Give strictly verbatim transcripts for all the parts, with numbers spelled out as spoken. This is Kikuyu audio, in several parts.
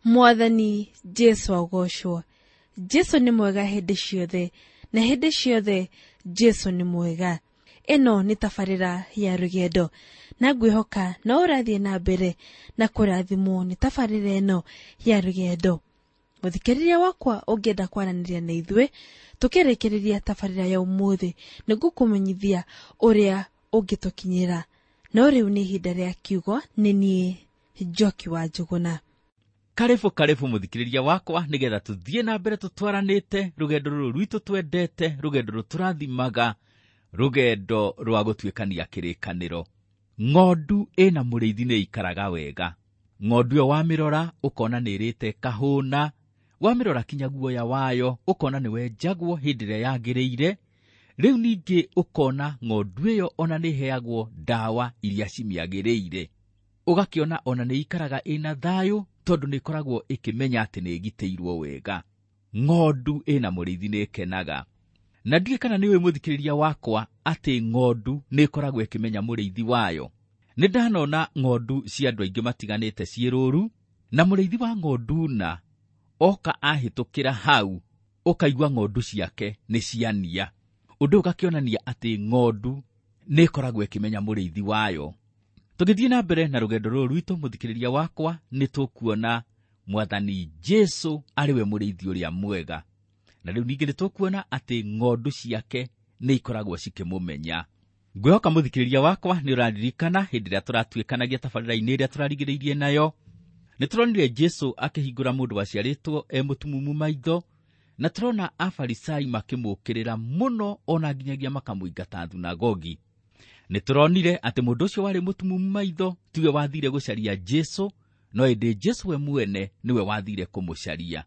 Mwathani Jesu agocwo. Jesu nĩ mwega hĩndĩ ciothe, na hĩndĩ ciothe Jesu nĩ mwega. Ĩno nĩ tabarĩra ya rũgendo, na ngwĩhoka no ũrathiĩ na mbere na kũrathimwo nĩ tabarĩra ĩno ya rũgendo. Mũthikĩrĩria wakwa ũngĩenda kwaranĩria na ithuĩ tũkĩrĩkĩrĩria tabarĩra ya ũmũthĩ, nĩngũkũmenyithia ũrĩa ũngĩtũkinyĩra. No rĩu nĩ ihinda rĩa kiugo, nĩ niĩ Njoki wa Njũgũna. Karibu karibu mũthikĩrĩria wakwa, nĩgetha tũthiĩ na mbere tũtwaranĩte rũgendo rũrũ rwitũ twendete, rũgendo rũtũrathimaga, rũgendo rwa gũtuĩkania kĩrĩkanĩro. Ng'ondu ĩna mũrĩithi nĩ ĩikaraga wega. Ng'ondu ĩyo wamĩrora ũkona nĩ ĩrĩte kahũna, wamĩrora kinya guoya wayo ũkona nĩ wenjagwo hĩndĩ ĩrĩa yagĩrĩire. Rĩu ningĩ ũkona ng'ondu ĩyo ona nĩ ĩheagwo ndawa iria cimĩagĩrĩire. Ũgakĩona ona nĩ ĩikaraga ĩna thayũ, tondũ nĩ ĩkoragwo ĩkĩmenya atĩ nĩ ĩgitĩirwo wega. Ng'ondu ĩna mũrĩithi nĩ ĩkenaga. Na ndiũĩ kana nĩ ũĩ mũthikĩrĩria wakwa atĩ ng'ondu nĩ ĩkoragwo ĩkĩmenya mũrĩithi wayo. Nĩ ndanona ng'ondu cia andũ aingĩ matiganĩte ciĩ rũru, na mũrĩithi wa ng'ondu na oka ahĩtũkĩra hau, ũkaigua ng'ondu ciake nĩ ciania. Ũndũ ũyũ ũgakĩonania atĩ ng'ondu nĩ ĩkoragwo ĩkĩmenya mũrĩithi wayo. Tũgĩthiĩ na mbere na rũgendo rũrũ rwitũ, mũthikĩrĩria wakwa, nĩ tũkuona Mwathani Jesu arĩ we mũrĩithi ũrĩa mwega. Na rĩu ningĩ nĩ tũkuona atĩ ng'ondu ciake nĩ ikoragwo cikĩmũmenya. Ngwĩhoka mũthikĩrĩria wakwa nĩ ũraririkana hĩndĩ ĩrĩa tũratuĩkanagia tabarĩra-inĩ ĩrĩa tũrarigĩrĩirie nayo. Nĩ tũronire Jesu akĩhingũra mũndũ waciarĩtwo e mũtumumu maitho, na tũrona Afarisai makĩmũũkĩrĩra mũno ona nginyagia makamũingata thunagogi. Nĩ tũronire atĩ mũndũ ũcio warĩ mũtumumu maitho tiwe wathire gũcaria Jesu, no ĩndĩ Jesu we mwene nĩwe wathire kũmũcaria.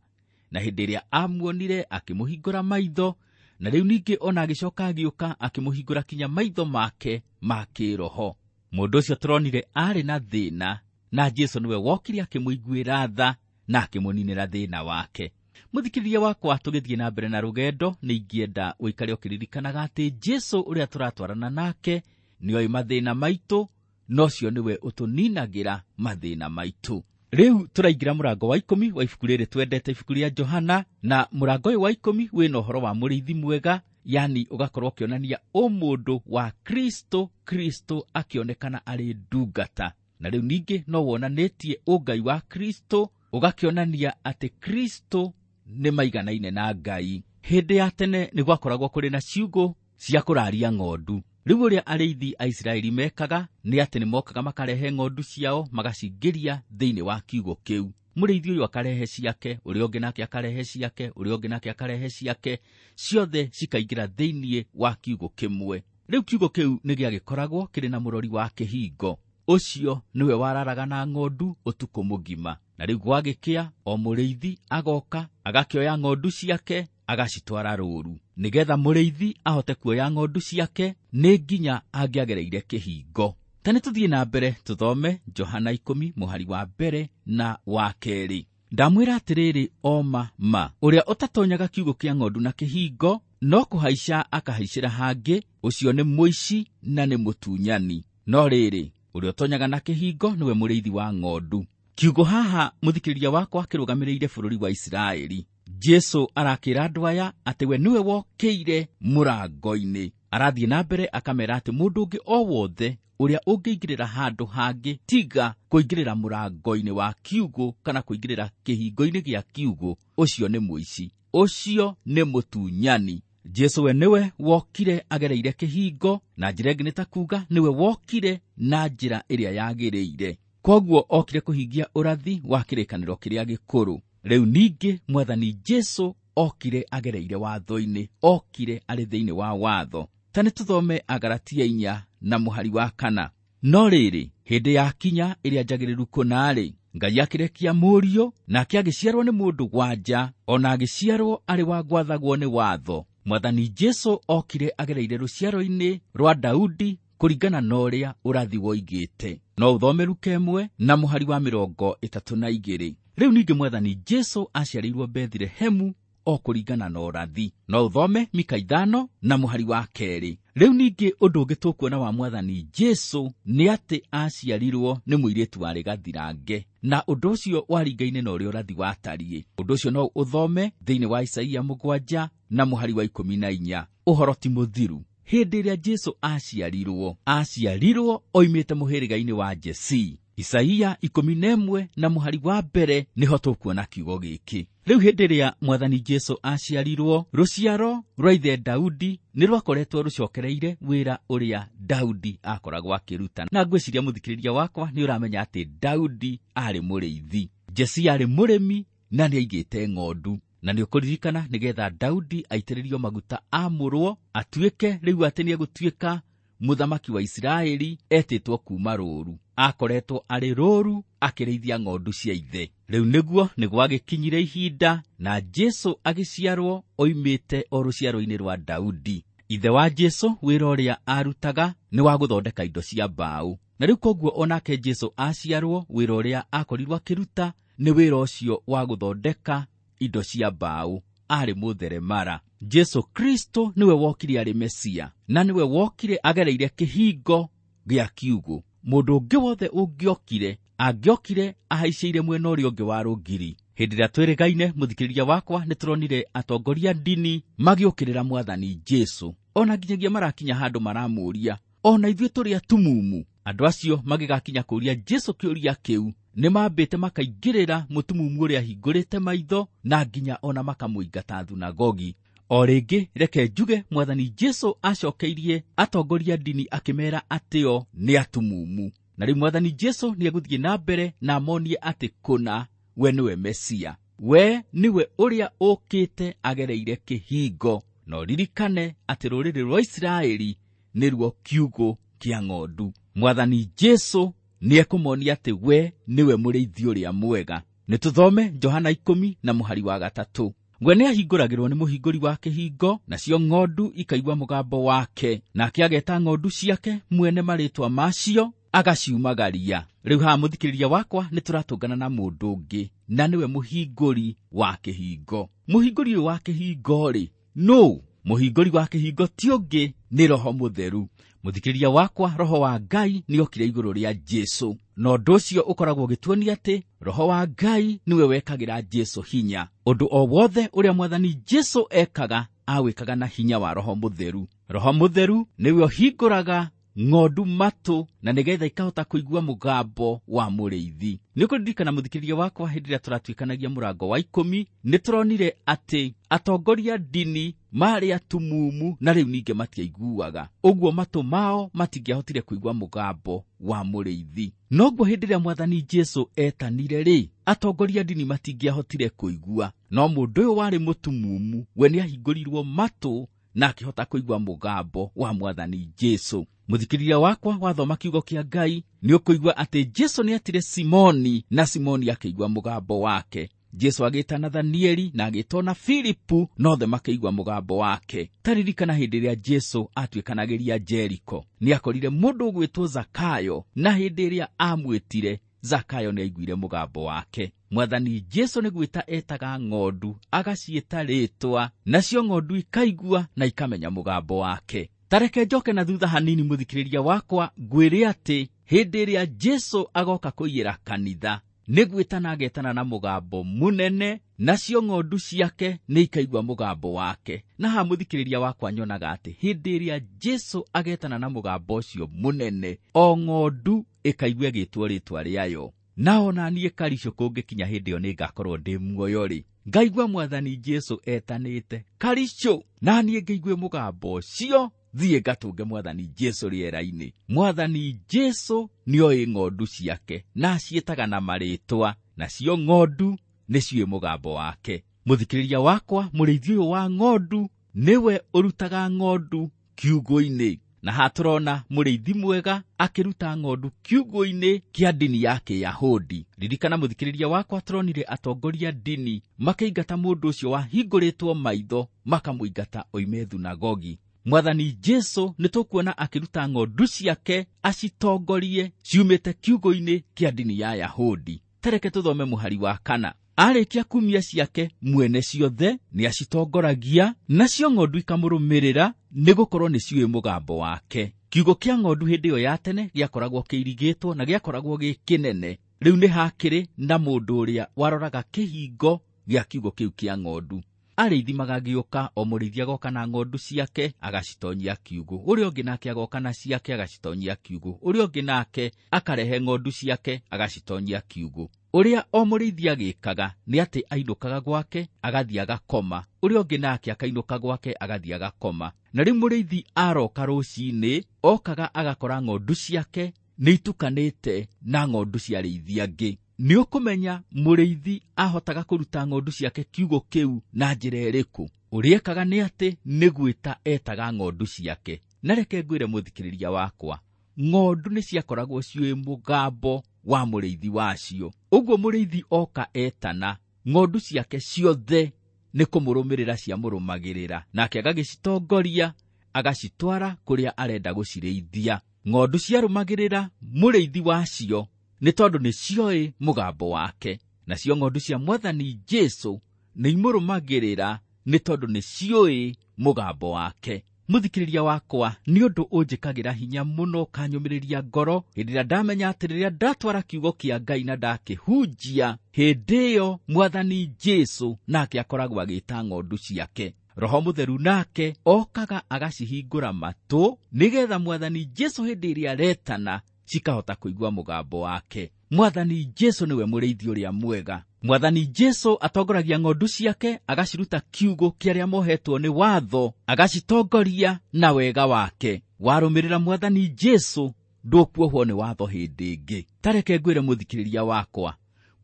Na hĩndĩ ĩrĩa amuonire akĩmũhingũra maitho, na rĩu ningĩ ona agĩcoka agĩũka akĩmũhingũra kinya maitho make ma kĩroho. Mũndũ ũcio tũronire arĩ na thĩna, na Jesu nĩwe wokire akĩmũiguĩra tha na akĩmũninĩra thĩna wake. Mũthikĩrĩria wakwa, tũgĩthiĩ na mbere na rũgendo, nĩ ingĩenda ũikare ũkĩririkanaga atĩ Jesu ũrĩa tũratwarana nake nĩoĩ mathĩna maitũ, na ũcio nĩwe ũtũninagĩra mathĩna maitũ. Rĩu tũraingĩra mũrango wa ikũmi wa ibuku rĩrĩ twendete, ibuku rĩa Johana, na mũrango ũyũ wa ikũmi wĩna ũhoro wa mũrĩithi mwega, yani ũgakorwo ũkĩonania ũmũndũ wa Kristo, Kristo akĩonekana arĩ ndungata. Na rĩu ningĩ no wonanĩtie ũngai wa Kristo, ũgakĩonania atĩ Kristo nĩ maiganaine na Ngai. Hĩndĩ ya tene nĩ gwakoragwo kũrĩ na ciugũ cia kũraria ng'ondu. Rĩu ũrĩa arĩithi a Isiraeli mekaga nĩ atĩ nĩ mokaga makarehe ng'ondu ciao magacingĩria thĩinĩ wa kiugũ kĩu. Mũrĩithi ũyũ akarehe ciake, ũrĩa ũngĩ nake akarehe ciake, ũrĩa ũngĩ nake akarehe ciake, ciothe cikaingĩra thĩinĩ wa kiugũ kĩmwe. Rĩu kiugũ kĩu nĩ gĩagĩkoragwo kĩrĩ na mũrori wa kĩhingo. Ũcio nĩwe wararaga na ng'ondu ũtukũ mũgima. Na rĩu gwagĩkĩa, o mũrĩithi agoka agakĩoya ng'ondu ciake agacitwara rũru. Nĩgetha mũrĩithi ahote kuoya ng'ondu ciake nĩ nginya angĩagereire kĩhingo. Ta nĩ tũthiĩ na mbere tũthome Johana ikũmi mũhari wa mbere na wa kerĩ. Ndamwĩra atĩrĩrĩ o ma ma, ũrĩa ũtatonyaga kiugũ kĩa ng'ondu na kĩhingo, no kũhaica akahaicĩra hangĩ, ũcio nĩ mũici na nĩ mũtunyani. No rĩrĩ, ũrĩa ũtonyaga na kĩhingo nĩwe mũrĩithi wa ng'ondu. Kiugo haha mũthikĩrĩria wakwa kĩrũgamĩrĩire bũrũri wa Isiraeli. Jesu arakĩra andũ aya atĩ we nĩwe wokĩire mũrango-inĩ. Arathiĩ na mbere akamera atĩ mũndũ ũngĩ o wothe ũrĩa ũngĩingĩrĩra handũ hangĩ tiga kũingĩrĩra mũrango-inĩ wa kiugũ kana kũingĩrĩra kĩhingo-inĩ gĩa kiugũ, ũcio nĩ mũici, ũcio nĩ mũtunyani. Jesu we nĩwe wokire agereire kĩhingo, na njĩra ĩngĩ nĩ ta kuga nĩwe wokire na njĩra ĩrĩa yagĩrĩire. Kwoguo okire kũhingia ũrathi wa kĩrĩkanĩro kĩrĩa gĩkũrũ. Rĩu ningĩ Mwathani Jesu okire agereire watho-inĩ, okire arĩ thĩinĩ wa watho. Ta nĩ tũthome Agalatia inya na mũhari wa kana. No rĩrĩ, hĩndĩ ya kinya ĩrĩa njagĩrĩru kũna-rĩ, Ngai akĩrekia mũriũ, nake agĩciarwo nĩ mũndũ wa nja, ona agĩciarwo arĩ wa gwathagwo nĩ watho. Mwathani Jesu okire agereire rũciaro-inĩ rwa Daudi kũringana na ũrĩa ũrathi woigĩte. No ũthome Luka ĩmwe na mũhari wa mĩrongo ĩtatũ na igĩrĩ. Rĩu ningĩ Mwathani Jesu aciarĩirwo Bethlehemu o kũringana na ũrathi. No ũthome Mika ithano na mũhari wa kerĩ. Rĩu ningĩ ũndũ ũngĩ tũkuona wa Mwathani Jesũ nĩ atĩ aciarirwo nĩ mũirĩtu warĩ gathirange, na ũndũ ũcio waringaine na ũrĩa ũrathi watariĩ. Ũndũ ũcio no ũthome thĩinĩ wa Isaia mũgwanja na mũhari wa ikũmi na inya. Ũhoro ti mũthiru. Hĩndĩ ĩrĩa Jesũ aciarirwo, aciarirwo oimĩte mũhĩrĩga-inĩ wa Jesii. Isaia ikũmi na ĩmwe na mũhari wa mbere nĩho tũkuona kiugo gĩkĩ. Rĩu hĩndĩ ĩrĩa Mwathani Jesũ aciarirwo, rũciaro rwa ithe Daudi nĩ rwakoretwo rũcokereire wĩra ũrĩa Daudi akoragwo akĩruta. Na ngwĩciria mũthikĩrĩria wakwa nĩ ũramenya atĩ Daudi aarĩ mũrĩithi, Jesii aarĩ mũrĩmi na nĩaigĩte ng'ondu. Na nĩ ũkũririkana nĩgetha Daudi aitĩrĩrio maguta amũrwo atuĩke rĩu atĩ nĩegũtuĩka mũthamaki wa Isiraeli, etĩtwo kuma rũũru. Akoretwo arĩ rũũru akĩrĩithia ng'ondu cia ithe. Rĩu nĩguo nĩ gwagĩkinyire ihinda na Jesũ agĩciarwo oimĩte o rũciaro-inĩ rwa Daudi. Ithe wa Jesũ wĩra ũrĩa arutaga nĩ wa gũthondeka indo cia mbaũ. Na rĩu koguo onake Jesũ aciarwo, wĩra ũrĩa akorirwo akĩruta nĩ wĩra ũcio wa gũthondeka indo cia mbaũ. Arĩ mũtheremara. Jesũ Kristo nĩwe wokire arĩ Mesia, na nĩwe wokire agereire kĩhingo gĩa kiugũ. Mũndũ ũngĩ wothe ũngĩokire angĩokire ahaicĩire mwena ũrĩa ũngĩ wa rũgiri. Hĩndĩ ĩrĩa twĩrĩgaine mũthikĩrĩria wakwa, nĩ tũronire atongoria ndini magĩũkĩrĩra Mwathani Jesũ, ona nginyagia marakinya handũ maramũũria, ona ithuĩ tũrĩ atumumu. Andũ acio magĩgakinya kũũria Jesũ kĩũria kĩu, nĩ mambĩte makaingĩrĩra mũtumumu ũrĩa ahingũrĩte maitho, na nginya ona makamũingata thunagogi. O rĩngĩ reke njuge Mwathani Jesũ acokeirie atongoria ndini akĩmera atĩ o nĩ atumumu. Na rĩu Mwathani Jesũ nĩegũthiĩ na mbere na amonie atĩ kũna we nĩwe Mesia, we nĩwe ũrĩa ũkĩte agereire kĩhingo. Na ũririkane atĩ rũrĩrĩ rwa Isiraeli nĩruo kiugũ kĩa ng'ondu. Mwathani Jesũ nĩekũmonia atĩ we nĩwe mũrĩithi ũrĩa mwega. Nĩtũthome Johana ikũmi na mũhari wa gatatũ. We nĩahingũragĩrwo nĩ mũhingũri wa kĩhingo, nacio ng'ondu ikaigua mũgambo wake, nake ageta ng'ondu ciake mwene marĩtwa macio agaciumagaria. Rĩu haha mũthikĩrĩria wakwa nĩtũratũngana na mũndũ ũngĩ, na nĩwe mũhingũri wa kĩhingo. Mũhingũri ũyũ wa kĩhingo-rĩ, nũ? Mũhingũri wa kĩhingo ti ũngĩ, nĩ Roho Mũtheru. Mũthikĩrĩria wakwa, Roho wa Ngai nĩokire igũrũ rĩa Jesũ, na ũndũ ũcio ũkoragwo ũgĩtuonia atĩ Roho wa Ngai nĩwe wekagĩra Jesũ hinya. Ũndũ o wothe ũrĩa Mwathani Jesũ ekaga awĩkaga na hinya wa Roho Mũtheru. Roho Mũtheru nĩwe ũhingũraga ng'ondu matũ na nĩgetha ikahota kũigua mũgambo wa mũrĩithi. Nĩ ũkũririkana mũthikĩrĩria wakwa, hĩndĩ ĩrĩa tũratuĩkanagia mũrango wa ikũmi, nĩ tũronire atĩ atongoria ndini marĩ atumumu na rĩu ningĩ matiaiguaga, ũguo matũ mao matingĩahotire kũigua mũgambo wa mũrĩithi. Noguo hĩndĩ ĩrĩa Mwathani Jesũ etanire rĩ, atongoria ndini matingĩahotire kũigua, no mũndũ ũyũ warĩ mũtumumu we nĩahingũrirwo matũ na akĩhota kũigua mũgambo wa Mwathani Jesũ. Mũthikĩrĩria wakwa, wathoma kiugo kĩa Ngai nĩ ũkũigua atĩ Jesũ nĩetire Simoni, na Simoni akĩigua mũgambo wake. Jesũ agĩta Nathanieli na agĩta ona Filipu, nothe makĩigua mũgambo wake. Ta ririkana hĩndĩ ĩrĩa Jesũ atuĩkanagĩria Jeriko, nĩakorire mũndũ ũgwĩtwo Zakayo, na hĩndĩ ĩrĩa amwĩtire Zakayo nĩaiguire mũgambo wake. Mwathani Jesũ nĩ gwĩta etaga ng'ondu, agaciĩta rĩtwa, nacio ng'ondu ikaigua na ikamenya mũgambo wake. Ta reke njoke na thutha hanini mũthikĩrĩria wakwa, ngwĩre atĩ hĩndĩ ĩrĩa Jesũ agoka kũiyĩra kanitha, nĩ gwĩtana agetana na mũgambo mũnene, nacio ng'ondu ciake nĩ ikaigua mũgambo wake. Na haha mũthikĩrĩria wakwa nyonaga atĩ hĩndĩ ĩrĩa Jesũ agetana na mũgambo ũcio mũnene, o ng'ondu ĩkaigua ĩgĩtwo rĩtwa rĩayo. Na ona niĩ Karicũ kũngĩkinya hĩndĩ ĩyo nĩngakorwo ndĩ muoyo rĩ, ngaigua Mwathani Jesũ etanĩte Karicũ, na niĩ ngĩigue mũgambo ũcio, thiĩ ngatũnge Mwathani Jesũ rĩera-inĩ. Mwathani Jesũ nĩoĩ ng'ondu ciake na aciĩtaga na marĩtwa, nacio ng'ondu nĩciũĩ mũgambo wake. Mũthikĩrĩria wakwa, mũrĩithi ũyũ wa ng'ondu nĩwe ũrutaga ng'ondu kiugũ-inĩ. Na haha tũrona mũrĩithi mwega akĩruta ng'ondu kiugũ-inĩ kĩa ndini ya Kĩyahudi. Ririkana mũthikĩrĩria wakwa, tũronire atongoria ndini makĩingata mũndũ ũcio wahingũrĩtwo maitho, makamũingata oime thunagogi. Mwathani Jesũ nĩtũkuona akĩruta ng'ondu ciake acitongorie ciumĩte kiugũ-inĩ kĩa ndini ya Yahudi. Tareke tũthome mũhari wa kana. Arĩkia kumia ciake mwene ciothe nĩacitongoragia, nacio ng'ondu ikamũrũmĩrĩra, nĩgũkorwo nĩciũĩ mũgambo wake. Kiugo kĩa ng'ondu hĩndĩ ĩyo ya tene gĩakoragwo kĩirigĩtwo na gĩakoragwo gĩ kĩnene. Rĩu nĩ hakĩrĩ na mũndũ ũrĩa waroraga kĩhingo gĩa kiugo kĩu kĩa ng'ondu. Arĩithi magagĩũka, o mũrĩithi agoka na ng'ondu ciake agacitonyia kiugũ, ũrĩa ũngĩ nake agoka na ciake agacitonyia kiugũ, ũrĩa ũngĩ nake akarehe ng'ondu ciake agacitonyia kiugũ. Ũrĩa o mũrĩithi agĩkaga nĩ atĩ ainũkaga gwake agathiĩ agakoma, ũrĩa ũngĩ nake akainũka gwake agathiĩ agakoma. Na rĩu mũrĩithi aroka rũcinĩ okaga agakora ng'ondu ciake nĩ itukanĩte na ng'ondu cia arĩithi angĩ. Nĩ ũkũmenya mũrĩithi ahotaga kũruta ng'ondu ciake kiugũ kĩu na njĩra ĩrĩkũ? Ũrĩa ekaga nĩ atĩ nĩ gwĩta etaga ng'ondu ciake. Na reke ngwĩre mũthikĩrĩria wakwa, ng'ondu nĩ ciakoragwo ciũĩ mũgambo wa mũrĩithi wacio. Ũguo mũrĩithi oka etana, ng'ondu ciake ciothe nĩ kũmũrũmĩrĩra ciamũrũmagĩrĩra, nake agagĩcitongoria agacitwara kũrĩa arenda gũcirĩithia. Ng'ondu ciarũmagĩrĩra mũrĩithi wacio nĩ tondũ nĩ cioĩ mũgambo wake. Nacio ng'ondu cia Mwathani Jesũ nĩ imũrũmagĩrĩra nĩ tondũ nĩ ciũĩ mũgambo wake. Mũthikĩrĩria wakwa, nĩ ũndũ ũnjĩkagĩra hinya mũno ũkanyũmĩrĩria ngoro hĩndĩ ĩrĩa ndamenya atĩ rĩrĩa ndatwara kiugo kĩa Ngai na ndakĩhunjia, hĩndĩ ĩyo Mwathani Jesũ nake akoragwo agĩta ng'ondu ciake. Roho Mũtheru nake okaga agacihingũra matũ nĩgetha Mwathani Jesũ hĩndĩ ĩrĩa aretana cikahota kũigua mũgambo wake. Mwathani Jesũ nĩwe mũrĩithi ũrĩa mwega. Mwathani Jesũ atongoragia ng'ondu ciake agaciruta kiugũ kĩa arĩa mohetwo nĩ watho, agacitongoria na wega wake. Warũmĩrĩra Mwathani Jesũ ndũkuohwo nĩ watho hĩndĩ ĩngĩ. Tareke ngwĩre mũthikĩrĩria wakwa,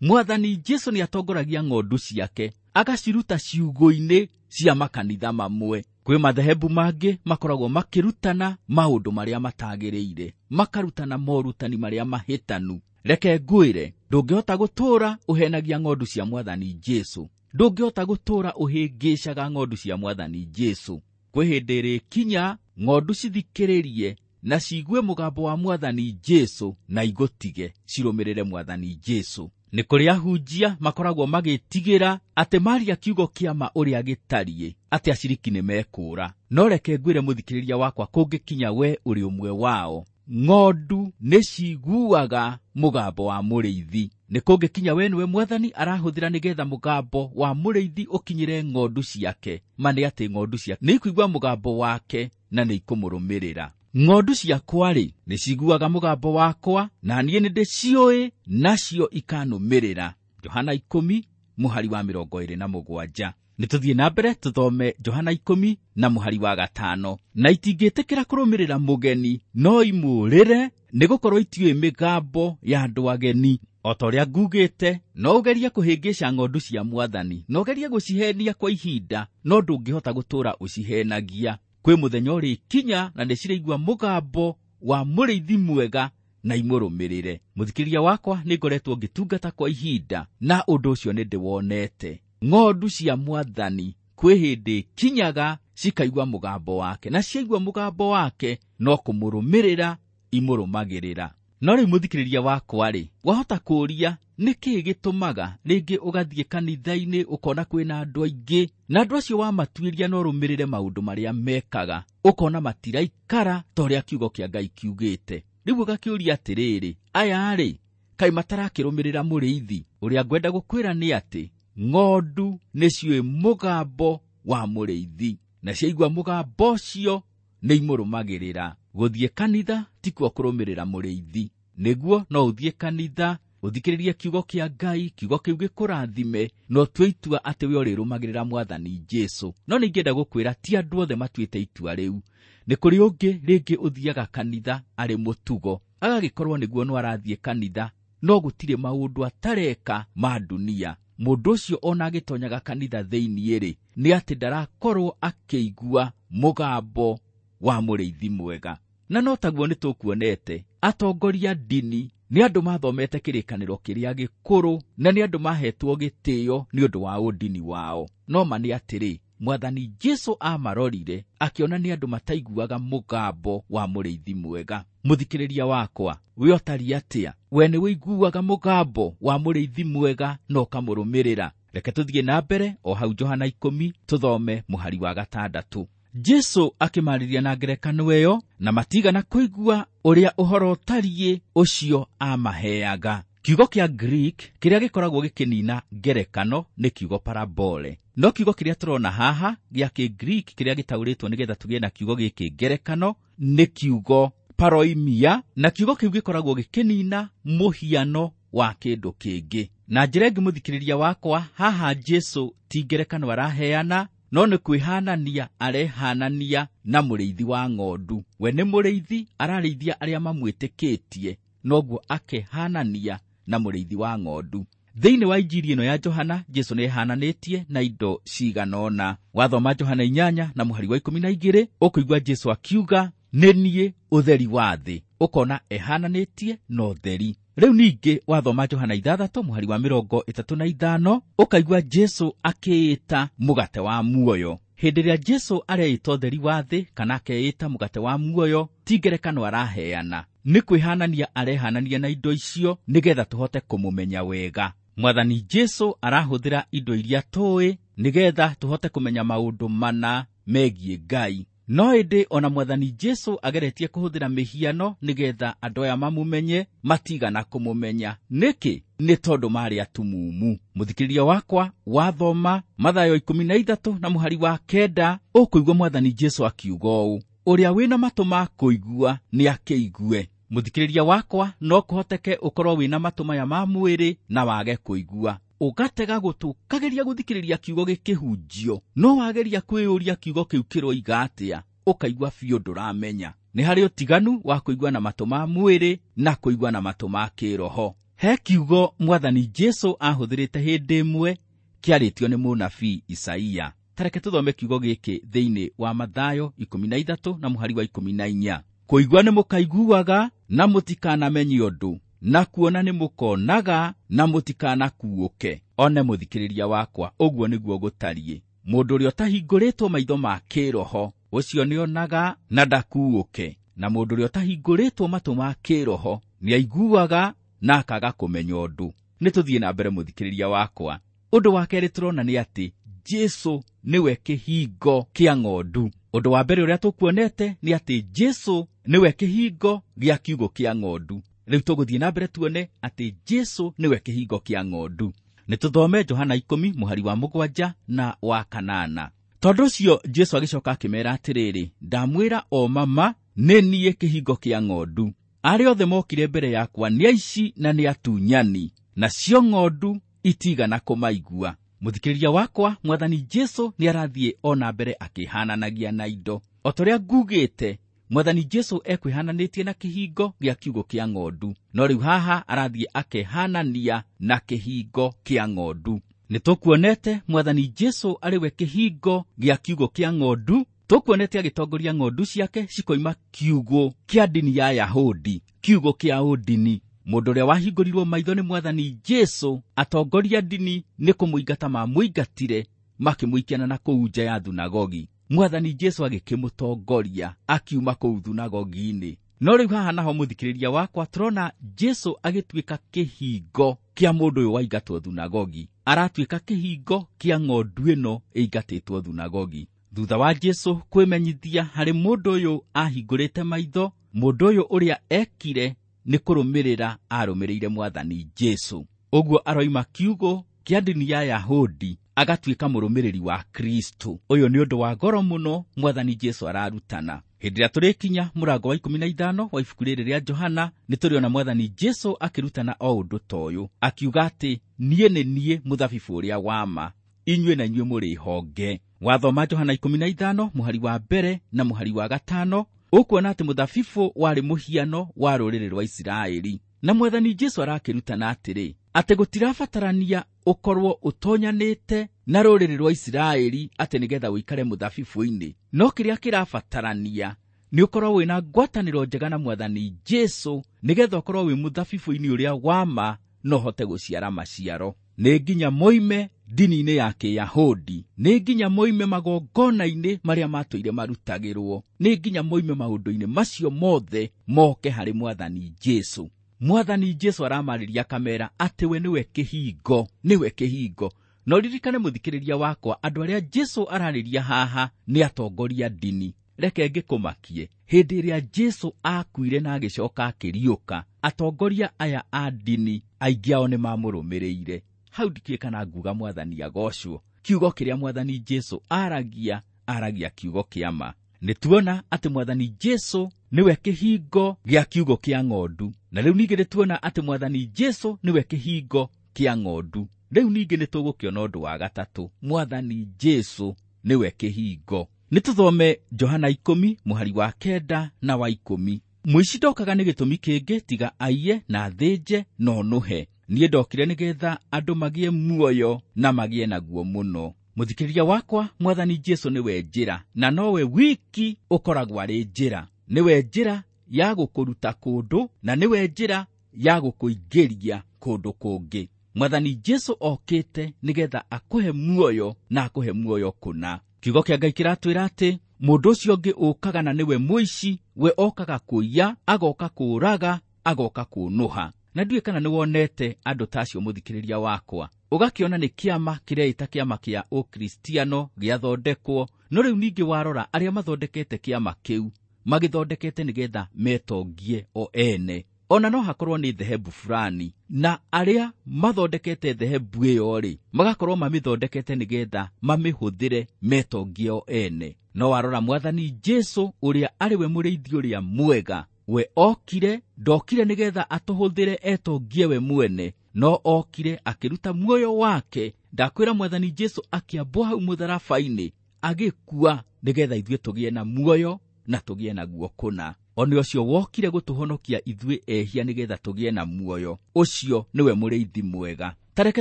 Mwathani Jesũ nĩ atongoragia ng'ondu ciake agaciruta ciugũ-inĩ cia makanitha mamwe. Kwĩ mathehebu mangĩ makoragwo makĩrutana maũndũ marĩa matagĩrĩire, makarutana morutani marĩa mahĩtanu. Reke ngwĩre, ndũngĩhota gũtũũra ũhenagia ng'ondu cia Mwathani Jesũ, ndũngĩhota gũtũũra ũhĩngĩcaga ng'ondu cia Mwathani Jesũ. Kwĩ hĩndĩ ĩrĩkinya ng'ondu cithikĩrĩrie na ciigue mũgambo wa Mwathani Jesũ na igũtige cirũmĩrĩre Mwathani Jesũ. Nĩ kũrĩ ahunjia makoragwo magĩtigĩra atĩ maria kiugo kĩa ma ũrĩa gĩtariĩ, atĩ aciriki nĩ mekũũra. No reke ngwĩre mũthikĩrĩria wakwa, kũngĩkinya we ũrĩ ũmwe wao, ng'ondu nĩ ciguaga mũgambo wa mũrĩithi. Nĩ kũngĩkinya we nĩwe Mwathani arahũthĩra nĩgetha mũgambo wa mũrĩithi ũkinyĩre ng'ondu ciake. Ma nĩ atĩ ng'ondu ciake nĩ ikuigua mũgambo wake na nĩ ikũmũrũmĩrĩra. Ng'ondu ciakwa-rĩ nĩ ciguaga mũgambo wakwa, na niĩ nĩ ndĩciũĩ, nacio ikanũmĩrĩra. Johana ikũmi mũhari wa mĩrongo ĩrĩ na mũgwanja. Nĩ tũthiĩ na mbere tũthome Johana ikũmi na mũhari wa gatano. Na itingĩtĩkĩra kũrũmĩrĩra mũgeni, no imũũrĩre, nĩgũkorwo itiũĩ mĩgambo ya andũ ageni. O ta ũrĩa ngugĩte, no ũgerie kũhĩngĩca ng'ondu cia Mwathani, no ũgerie gũcihenia kwa ihinda, no ndũngĩhota gũtũũra ũcihenagia. Kwĩ mũthenya ũrĩkinya na nĩciraigua mũgambo wa mũrĩithi mwega na imũrũmĩrĩre. Mũthikĩrĩria wakwa, nĩ ngoretwo ngĩtungata kwa ihinda na ũndũ ũcio nĩ ndĩwonete. Ng'ondu cia Mwathani kwĩ hĩndĩ kinyaga cikaigua mũgambo wake, na ciaigua mũgambo wake no kũmũrũmĩrĩra imũrũmagĩrĩra. No rĩu mũthikĩrĩria wakwa-rĩ, wahota kũũria nĩkĩĩ gĩtũmaga rĩngĩ ũgathiĩ kanitha-inĩ ũkona kwĩna andũ aingĩ, na andũ acio wamatuĩria no ũrũmĩrĩre maũndũ marĩa mekaga, ũkona matiraikara ta ũrĩa kiugo kĩa Ngai kiugĩte. Rĩu ũgakĩũria atĩrĩrĩ, aya-rĩ kaĩ matarakĩrũmĩrĩra mũrĩithi? Ũrĩa ngwenda gũkwĩra nĩ atĩ ng'ondu nĩciũĩ mũgambo wa mũrĩithi, na ciaigua mũgambo ũcio nĩ imũrũmagĩrĩra. Gũthiĩ kanitha tikuo kũrũmĩrĩra mũrĩithi. Nĩguo no ũthiĩ kanitha ũthikĩrĩrie kiugo kĩa Ngai, kiugo kĩu gĩkũrathime, na ũtue itua atĩ we ũrĩrũmagĩrĩra Mwathani Jesũ. No nĩingĩenda gũkwĩra ti andũ othe matuĩte itua rĩu. Nĩ kũrĩ ũngĩ rĩngĩ ũthiaga kanitha arĩ mũtugo, agagĩkorwo nĩguo no arathiĩ kanitha, no gũtirĩ maũndũ atareka ma dunia. Mũndũ ũcio ona agĩtonyaga kanitha thĩinĩ-rĩ, nĩ atĩ ndarakorwo akĩigua mũgambo wa mũrĩithi mwega. Na no taguo nĩ tũkuonete atongoria ndini nĩ andũ mathomete kĩrĩkanĩro kĩrĩa gĩkũrũ, na nĩ andũ mahetwo gĩtĩo nĩ ũndũ wa ũndini wao. No ma nĩ atĩrĩ, Mwathani Jesu amarorire akĩona nĩ andũ mataiguaga mũgambo wa mũrĩithi mwega. Mũthikĩrĩria wakwa, we ũtariĩ atĩa? We nĩ wĩiguaga mũgambo wa mũrĩithi mwega na ũkamũrũmĩrĩra? Reke tũthiĩ na mbere o hau Johana ikũmi tũthome mũhari wa gatandatũ. Jesu akĩmarĩria na ngerekano ĩyo, na matigana kũigua ũrĩa ũhoro ũtariĩ ũcio amaheaga. Kiugo kĩa Greek kĩrĩa gĩkoragwo gĩkĩnina ngerekano nĩ kiugo parabole. No kiugo kĩrĩa tũrona haha gĩa kĩ-Greek kĩrĩa gĩtaũrĩtwo nĩgetha tũgĩe na kiugo gĩkĩ ngerekano nĩ kiugo paroimia, na kiugo kĩu gĩkoragwo gĩkĩnina mũhiano wa kĩndũ kĩngĩ. Na njĩra ĩngĩ mũthikĩrĩria wakwa, haha Jesu ti ngerekano araheana, no nĩ kwĩhanania arehanania na mũrĩithi wa ng'ondu. We nĩ mũrĩithi, ararĩithia arĩa mamwĩtĩkĩtie, noguo akehanania na mũrĩithi wa ng'ondu. Thĩinĩ wa Injiri ĩno ya Johana, Jesu nĩehananĩtie na indo cigana ũna. Wathoma Johana inyanya na mũhari wa ikũmi na igĩrĩ, ũkũigua Jesu akiuga, nĩ niĩ ũtheri wa thĩ. Ũkona ehananĩtie na ũtheri. Rĩu ningĩ wathoma Johana ithathatũ mũhari wa mĩrongo ĩtatũ na ithano, ũkaigua Jesu akĩĩta mũgate wa muoyo. Hĩndĩ ĩrĩa Jesu areĩta ũtheri wa thĩ kana akeĩta mũgate wa muoyo, ti ngerekano araheana, nĩ kwĩhanania arehanania na indo icio nĩgetha tũhote kũmũmenya wega. Mwathani Jesu arahũthĩra indo iria tũĩ nĩgetha tũhote kũmenya maũndũ mana megiĩ Ngai. No ĩndĩ ona Mwathani Jesu ageretie kũhũthĩra mĩhiano nĩgetha andũ aya mamũmenye, matigana kũmũmenya. Nĩkĩ? Nĩ tondũ marĩ atumumu. Mũthikĩrĩria wakwa, wathoma Mathayo ikũmi na ithatũ na mũhari wa kenda, ũkũigua Mwathani Jesu akiuga ũũ, ũrĩa wĩna matũ ma kũigua nĩ akĩigue. Mũthikĩrĩria wakwa, no kũhoteke ũkorwo wĩna matũ maya ma mwĩrĩ na wage kũigua. Ũgatega gũtũ ũkageria gũthikĩrĩria kiugo gĩkĩhunjio, no wageria kwĩyũria kiugo kĩu kĩroiga atĩa, ũkaigua biũ ndũramenya. Nĩ harĩ ũtiganu wa kũigua na matũ ma mwĩrĩ na kũigua na matũ ma kĩroho. He kiugo Mwathani Jesu ahũthĩrĩte hĩndĩ ĩmwe kĩarĩtio nĩ mũnabii Isaia. Tareke tũthome kiugo gĩkĩ thĩinĩ wa Mathayo ikũmi na ithatũ na mũhari wa ikũmi na inya. Kũigua nĩ mũkaiguaga na mũtikanamenye ũndũ, na kuona nĩ mũkonaga na mũtikanakuũke. One mũthikĩrĩria wakwa, ũguo nĩguo gũtariĩ. Mũndũ ũrĩa ũtahingũrĩtwo maitho ma kĩroho, ũcio nĩonaga na ndakuũke, na mũndũ ũrĩa ũtahingũrĩtwo matũ ma kĩroho nĩaiguaga na akaga kũmenya ũndũ. Nĩ tũthiĩ na mbere mũthikĩrĩria wakwa. Ũndũ wa kerĩ tũrona nĩ atĩ Jesu nĩwe kĩhingo kĩa ng'ondu. Ũndũ wa mbere ũrĩa tũkuonete nĩ atĩ Jesu nĩwe kĩhingo gĩa kiugũ kĩa ng'ondu. Rĩu tũgũthiĩ na mbere tuone atĩ Jesu nĩwe kĩhingo kĩa ng'ondu. Nĩ tũthome Johana ikũmi mũhari wa mũgwanja na wa kanana. Tondũ ũcio Jesu agĩcoka akĩmeera atĩrĩrĩ, ndamwĩra o mama, nĩ niĩ kĩhingo kĩa ng'ondu. Arĩa othe mokire mbere yakwa nĩ aici na nĩ atunyani, nacio ng'ondu itigana kũmaigua. Mũthikĩrĩria wakwa, Mwathani Jesu nĩ arathiĩ o na mbere akĩhananagia na indo. O ta ũrĩa ngugĩte, Mwathani Jesu ekwĩhananĩtie na kĩhingo gĩa kiugũ kĩa ng'ondu, no rĩu haha arathiĩ akehanania na kĩhingo kĩa ng'ondu. Nĩ tũkuonete Mwathani Jesu arĩ we kĩhingo gĩa kiugũ kĩa ng'ondu. Tũkuonete agĩtongoria ng'ondu ciake cikoima kiugũ kĩa ndini ya Yahudi, kiugũ kĩa ũndini. Mũndũ ũrĩa wahingũrirwo maitho nĩ Mwathani Jesu, atongoria ndini nĩ kũmũingata mamũingatire, makĩmũikiana na kũu nja ya thunagogi. Mwathani Jesu agĩkĩmũtongoria akiuma kũu thunagogi-inĩ. No rĩu haha naho mũthikĩrĩria wakwa, tũrona Jesu agĩtuĩka kĩhingo kĩa mũndũ ũyũ waingatwo thunagogi. Aratuĩka kĩhingo kĩa ng'ondu ĩno ĩingatĩtwo thunagogi. Thutha wa Jesu kwĩmenyithia harĩ mũndũ ũyũ ahingũrĩte maitho, mũndũ ũyũ ũrĩa ekire nĩ kũrũmĩrĩra arũmĩrĩire Mwathani Jesu. Ũguo aroima kiugũ kĩa ndini ya Yahudi agatuĩka mũrũmĩrĩri wa Kristo. Ũyũ nĩ ũndũ wa goro mũno Mwathani Jesu ararutana. Hĩndĩ ĩrĩa tũrĩkinya mũrango wa ikũmi na ithano wa ibuku rĩrĩ rĩa Johana, nĩ tũrĩona Mwathani Jesu akĩrutana o ũndũ ta ũyũ, akiuga atĩ niĩ nĩ niĩ mũthabibũ ũrĩa wa ma, inyuĩ na inyuĩ mũrĩ honge. Wathoma Johana ikũmi na ithano mũhari wa mbere na mũhari wa gatano, ũkuona atĩ mũthabibũ warĩ mũhiano wa rũrĩrĩ rwa Isiraeli. Na Mwathani Jesu arakĩrutana atĩrĩ, atĩ gũtirabatarania ũkorwo ũtonyanĩte na rũrĩrĩ rwa Isiraeli atĩ nĩgetha ũikare mũthabibũ-inĩ, no kĩrĩa kĩrabatarania nĩ ũkorwo wĩna ngwatanĩro njega na Mwathani Jesu nĩgetha ũkorwo wĩ mũthabibũ-inĩ ũrĩa wa ma na ũhote gũciara maciaro. Nĩ nginya moime ndini-inĩ ya Kĩyahudi, nĩ nginya moime magongona-inĩ marĩa matũire marutagĩrwo, nĩ nginya moime maũndũ-inĩ macio mothe moke harĩ Mwathani Jesu. Mwathani Jesu aramarĩria akamera atĩ we nĩwe kĩhingo, nĩwe kĩhingo. No ririkane mũthikĩrĩria wakwa, andũ arĩa Jesu ararĩria haha nĩ atongoria ndini. Reke ngĩkũmakie, hĩndĩ ĩrĩa Jesu akuire na agĩcoka akĩriũka, atongoria aya a ndini aingĩ ao nĩ mamũrũmĩrĩire. Hau ndikĩũĩ kana nguga Mwathani agocwo. Kiugo kĩrĩa Mwathani Jesu aragia, aragia kiugo kĩa ma. Nĩ tuona atĩ Mwathani Jesu nĩwe kĩhingo gĩa kiugo kĩa ng'ondu. Na rĩu ningĩ nĩ tuona atĩ Mwathani Jesu nĩwe kĩhingo kĩa ng'ondu. Rĩu ningĩ nĩ tũgũkĩona ũndũ wa gatatũ, Mwathani Jesu nĩwe kĩhingo. Nĩ tũthome Johana ikũmi mũhari wa kenda na wa ikũmi. Mũici ndokaga nĩ gĩtũmi kĩngĩ tiga aiye na athĩnje na onũhe. Niĩ ndokire nĩgetha andũ magĩe muoyo na magĩe naguo mũno. Mũthikĩrĩria wakwa, Mwathani Jesu nĩwe njĩra, na nowe wiki ũkoragwo arĩ njĩra. Nĩwe njĩra ya gũkũruta kũndũ na nĩwe njĩra ya gũkũingĩria kũndũ kũngĩ. Mwathani Jesu okĩte nĩgetha akũhe muoyo na akũhe muoyo kũna. Kiugo kĩa Ngai kĩratwĩra atĩ mũndũ ũcio ũngĩ ũkaga na nĩwe mũici, we okaga kũiya, agoka kũũraga, agoka kũnũha. Na ndiũĩ kana nĩwonete andũ ta acio mũthikĩrĩria wakwa. Ũgakĩona nĩ kĩama kĩreĩta kĩama kĩa Ũkristiano gĩathondekwo, no rĩu ningĩ warora arĩa mathondekete kĩama kĩu magĩthondekete nĩgetha metongie o ene. Ona no hakorwo nĩ dhehebu fulani, na arĩa mathondekete dhehebu ĩyo rĩ, magakorwo mamĩthondekete nĩgetha mamĩhũthĩre metongie o ene. No warora Mwathani Jesu ũrĩa arĩ we mũrĩithi ũrĩa mwega, we okire, ndokire nĩgetha atũhũthĩre etongie we mwene, no okire akĩruta muoyo wake. Ndakwĩra Mwathani Jesu akĩambwo hau mũtharaba-inĩ agĩkua nĩgetha ithuĩ tũgĩe na muoyo na tũgĩe naguo kũna. Ona ũcio wokire gũtũhonokia ithuĩ ehia nĩgetha tũgĩe na muoyo, ũcio nĩwe mũrĩithi mwega. Ta reke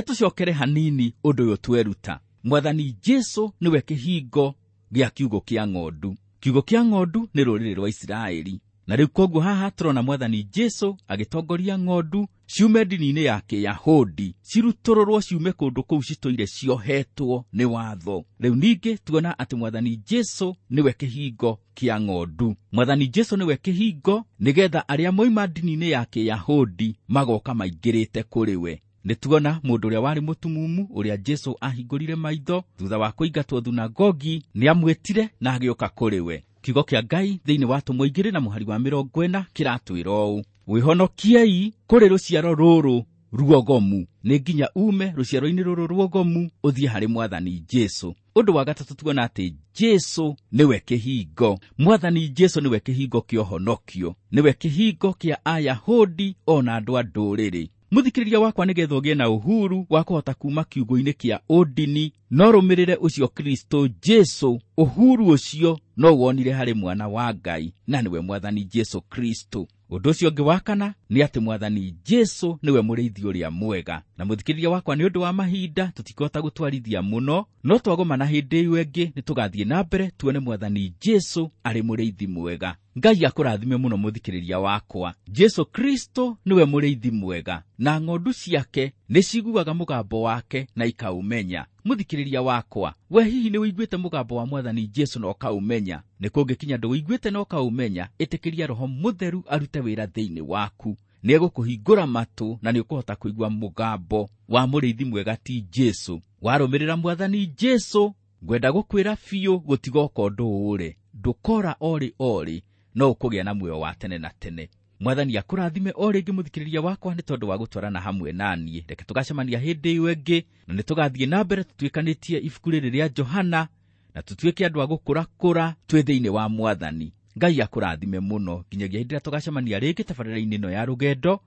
tũcokere hanini ũndũ ũyũ tweruta. Mwathani Jesu nĩwe kĩhingo gĩa kiugo kĩa ng'ondu. Kiugo kĩa ng'ondu nĩ rũrĩrĩ rwa Isiraeli. Na rĩu koguo haha tũrona Mwathani Jesu agĩtongoria ng'ondu ciume ndini-inĩ ya Kĩyahudi, cirutũrũrwo ciume kũndũ kũu citũire ciohetwo nĩ watho. Rĩu ningĩ tuona atĩ Mwathani Jesu nĩwe kĩhingo kĩa ng'ondu. Mwathani Jesu nĩwe kĩhingo nĩgetha arĩa moima ndini-inĩ ya Kĩyahudi magoka maingĩrĩte kũrĩ we. Nĩ tuona mũndũ ũrĩa warĩ mũtumumu ũrĩa Jesu ahingũrire maitho thutha wa kũingatwo thunagogi, nĩamwĩtire na agĩũka kũrĩ we. Kiugo kĩa Ngai thĩinĩ wa Atũmwo igĩrĩ na mũhari wa mĩrongo ĩna kĩratwĩra ũũ: wĩhonokiei kũrĩ rũciaro rũrũ ruogomu. Nĩ nginya ume rũciaro-inĩ rũrũ ruogomu ũthiĩ harĩ Mwathani Jesu. Ũndũ wa gatatũ tuona atĩ Jesu nĩwe kĩhingo. Mwathani Jesu nĩwe kĩhingo kĩa ũhonokio, nĩwe kĩhingo kĩa Ayahudi ona andũ a ndũrĩrĩ. Mũthikĩrĩria wakwa, nĩgetha ũgĩe na uhuru wa kũhota kuma kiugo-inĩ kĩa ũndini, no rũmĩrĩre ũcio Kristo Jesu. Uhuru ũcio no wonire harĩ mwana wa Ngai, na nĩwe Mwathani Jesu Kristo. Ũndũ ũcio ũngĩ wa kana nĩ atĩ Mwathani Jesu nĩwe mũrĩithi ũrĩa mwega. Na mũthikĩrĩria wakwa, nĩ ũndũ wa mahinda tũtikũhota gũtwarithia mũno, no twagomana hĩndĩ ĩyo ĩngĩ nĩ tũgathiĩ na mbere tuone Mwathani Jesu arĩ mũrĩithi mwega. Ngai akũrathime mũno mũthikĩrĩria wakwa. Jesu Kristo nĩwe mũrĩithi mwega, na ng'ondu ciake nĩ ciguaga mũgambo wake na ikaũmenya. Mũthikĩrĩria wakwa, we hihi nĩ ũiguĩte mũgambo wa Mwathani Jesu na ũkaũmenya? Nĩ kũngĩkinya ndũiguĩte na ũkaũmenya, ĩtĩkĩria Roho Mũtheru arute wĩra thĩinĩ waku. Nĩ egũkũhingũra matũ na nĩ ũkũhota kũigua mũgambo wa mũrĩithi mwega ti Jesu. Warũmĩrĩra Mwathani Jesu, ngwenda gũkwĩra biũ gũtigoka ũndũ ũũre, ndũkora orĩ orĩ, no ũkũgĩa na muoyo wa tene na tene. Mwathani akũrathime o rĩngĩ mũthikĩrĩria wakwa nĩ tondũ wa gũtwarana hamwe na niĩ. Reke tũgacemania hĩndĩ ĩyo ĩngĩ, na nĩ tũgathiĩ na mbere tũtuĩkanĩtie ibuku rĩrĩ rĩa Johana, na tũtuĩke andũ a gũkũrakũra twĩ thĩinĩ wa Mwathani. Ngai akũrathime mũno nginyagia hĩndĩ ĩrĩa tũgacemania rĩngĩ tabarĩra-inĩ ĩno ya rũgendo.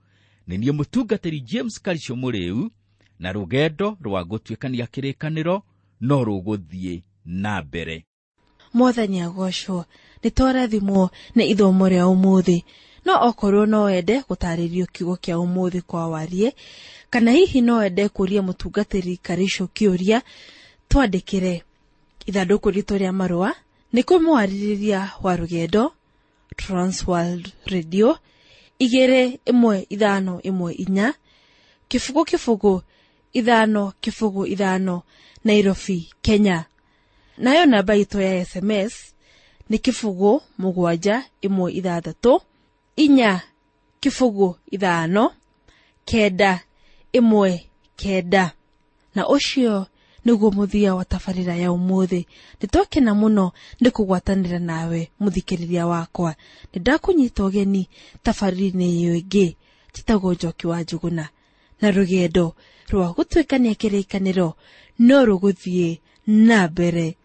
Nĩ niĩ mũtungatĩri James Karisho Mũrĩu, na rũgendo rwa gũtuĩkania kĩrĩkanĩro no rũgũthiĩ na mbere. Mwathani agocwo. Nĩ twarathimwo nĩ ithomo rĩa ũmũthĩ. No okorwo no wende gũtarĩrio kiugo kĩa ũmũthĩ kwa warie, kana hihi no wende kũria mũtungatĩri Karisho kĩũria, twandĩkĩre ithandũkũ ritũ rĩa marũa nĩ kũmwarĩrĩria wa rũgendo Transworld Radio igĩrĩ ĩmwe ithano ĩmwe inya kĩbũgũ kĩbũgũ ithano kĩbũgũ ithano, Nairobi, Kenya. Nayo namba itũ ya S M S nĩ kĩbũgũ mũgwanja ĩmwe ithathatũ inya kĩbũgũ ithano kenda ĩmwe kenda. Na ũcio nĩguo mũthia wa tabarĩra ya ũmũthĩ. Nĩtwakena mũno nĩ kũgwatanĩra nawe mũthikĩrĩria wakwa. Nĩndakũnyita ũgeni tabarĩra-inĩ ĩyo ĩngĩ. Njĩtagwo Njoki wa Njũgũna, na rũgendo rwa gũtuĩkania kĩrĩkanĩro no rũgũthiĩ na mbere.